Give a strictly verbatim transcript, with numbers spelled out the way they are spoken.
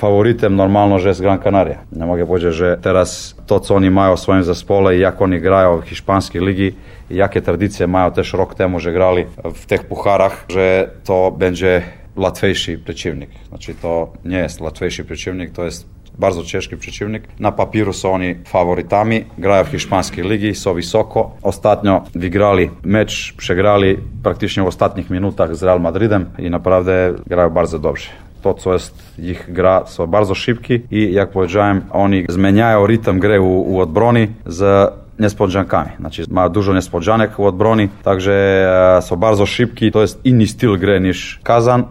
Favoritem normalno že z Gran Canaria. Ne mogę powiedzieć, że teraz to, co oni mają w swoim zespole i jak oni grają w hiszpańskiej ligi i jakie tradycje mają też rok temu, że grali w tych pucharach, że to będzie łatwiejszy przeciwnik. Znaczy to nie jest łatwiejszy przeciwnik, to jest bardzo ciężki przeciwnik. Na papiru są oni faworytami, grają w hiszpańskiej ligi, są wysoko. Ostatnio wygrali mecz, przegrali praktycznie w ostatnich minutach z Real Madridem i naprawdę grają bardzo dobrze. To, co jest ich gra, są bardzo szybki i jak powiedziałem, oni zmieniają rytm gry u, u odbrony z niespodziankami. Znaczy mają dużo niespodzianek u odbrony, także są bardzo szybki. To jest inny styl gry niż Kazan.